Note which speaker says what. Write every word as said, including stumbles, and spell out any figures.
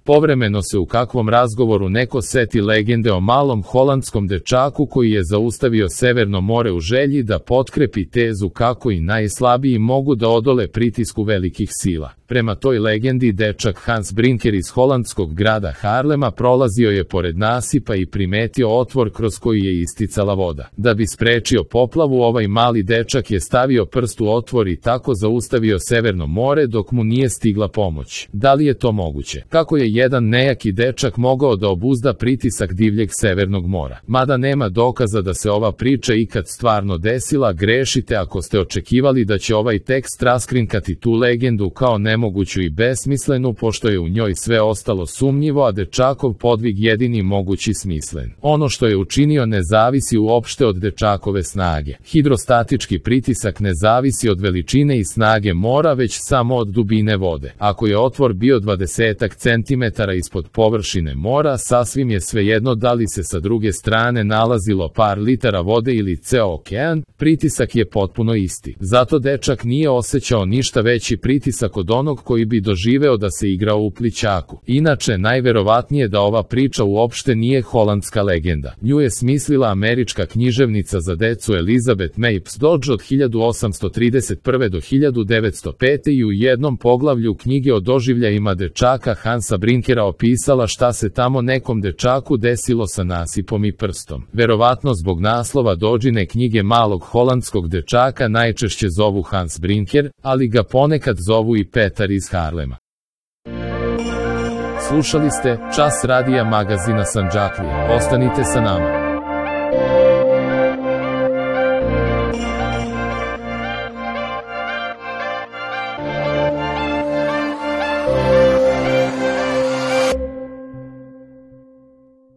Speaker 1: Povremeno se u kakvom razgovoru neko seti legende o malom holandskom dečaku koji je zaustavio Severno more u želji da potkrepi tezu kako i najslabiji mogu da odole pritisku velikih sila. Prema toj legendi, dečak Hans Brinker iz holandskog grada Haarlema prolazio je pored nasipa i primetio otvor kroz koji je isticala voda. Da bi sprečio poplavu, ovaj mali dečak je stavio prst u otvor i tako zaustavio Severno more dok mu nije stigla pomoć. Da li je to moguće? Kako je jedan nejaki dečak mogao da obuzda pritisak divljeg Severnog mora? Mada nema dokaza da se ova priča ikad stvarno desila, grešite ako ste očekivali da će ovaj tekst raskrinkati tu legendu kao nemoguću i besmislenu, pošto je u njoj sve ostalo sumnjivo, a dečakov podvig jedini mogući smislen. Ono što je učinio ne zavisi uopšte od dečakove snage. Hidrostatički pritisak ne zavisi od veličine i snage mora, već samo od dubine vode. Ako je otvor bio dvadesetak centimetara ispod površine mora, sasvim je svejedno da li se sa druge strane nalazilo par litara vode ili ceo okean, pritisak je potpuno isti. Zato dečak nije osjećao ništa veći pritisak od onog koji bi doživeo da se igrao u plićaku. Inače, najverovatnije da ova priča uopšte nije holandska legenda. Nju je smislila američka književnica za decu Elizabeth Mapes Dodge od hiljadu osamsto trideset prve do hiljadu devetsto pete i u jednom poglavlju knjige o doživljajima dečaka Hansa Brinkera opisala šta se tamo nekom dečaku desilo sa nasipom i prstom. Verovatno zbog naslova Dodžine knjige malog holandskog dečaka najčešće zovu Hans Brinker, ali ga ponekad zovu i Petar iz Haarlema. Slušali ste Čas radija magazina Sandžaklija. Ostanite sa nama.